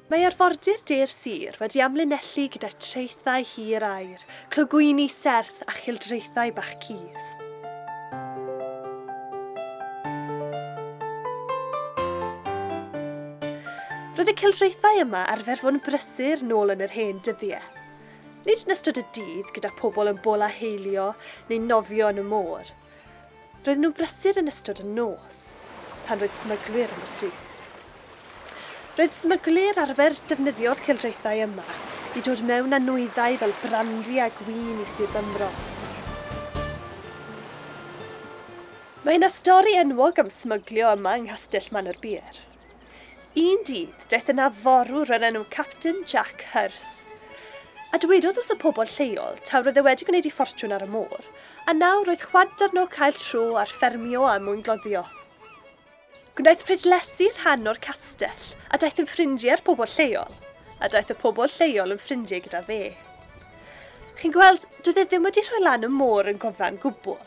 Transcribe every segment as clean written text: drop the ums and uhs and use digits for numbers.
Mae arfordir de'r sir wedi amlinellu gyda traethau hir aur, clogwyni serth a childraethau bach cudd. Roedd y cildraethau yma arfer fod yn brysur nôl yn yr hen dyddiau. Nid yn ystod y dydd gyda pobl yn bola heilio neu nofio yn y môr. Roedden nhw'n brysur yn ystod y nos, pan roedd smyglwyr yn y Roedd smyglwyr arfer defnyddio'r cildraethau yma i dod mewn â nwyddau fel brandi a gwin i Sir Benfro. Mae yna stori enwog am smyglio yma yng Nghastell Manorbier. Un dydd, daeth yna forwr o'r enw Captain Jack Hurst. A dywedodd wrth y pobl lleol taw roedd e wedi gwneud ei ffortiwn ar y môr, a nawr roedd chwant arno cael tro ar ffermio a mwyngloddio. Gwnaeth prydlesu rhan o'r castell a daeth yn ffrindiau â'r pobl lleol, a daeth y pobl lleol yn ffrindiau gyda fe. Chi'n gweld, doedd e ddim wedi rhoi lan y môr yn gofan gwbl.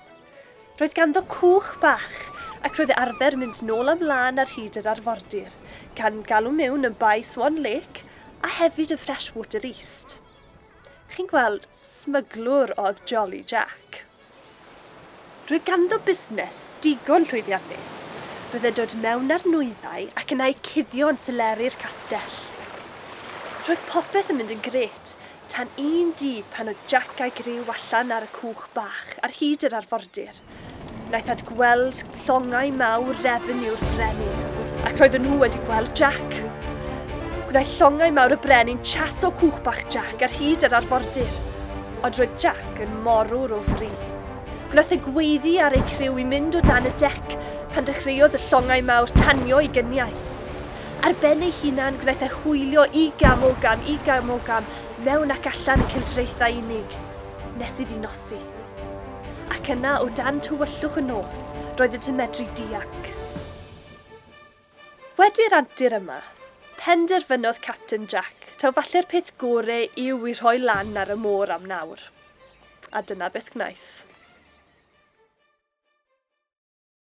Roedd ganddo cwch bach ac roedd e arfer mynd nôl ymlaen ar hyd yr arfordir, gan galw mewn yn Bay Swan Lake a hefyd y Freshwater East. Chi'n gweld, smyglwr oedd Jolly Jack. Roedd ganddo busnes digon llwyddiannus. Roedd e'n dod mewn ar nwyddau ac yna eu cuddio yn seleri'r castell. Roedd popeth yn mynd yn grêt, tan un dydd pan oedd Jack a'i griw allan ar y cwch bach ar hyd yr arfordir. Wnaethant gweld llongau mawr refeniw'r brenin, ac roedden nhw wedi gweld Jack. Gwnaeth llongau mawr y brenin chaso cwch bach Jack ar hyd yr arfordir, ond roedd Jack yn morwr o fri. Gwnaeth e gweiddi ar ei criw i mynd o dan y dec pan dechreuodd y llongau mawr tanio ei gyniau. Ar ben ei hunan gwnaeth e hwylio igam ogam, igam ogam, mewn ac allan y cildraethau unig, nes iddi nosi. Ac yna, o dan tywyllwch y nos, roedd y medru dianc. Wedi'r antur yma, penderfynodd Captain Jack taw falle'r peth gore yw i rhoi lan ar y môr am nawr. A dyna beth gwnaeth.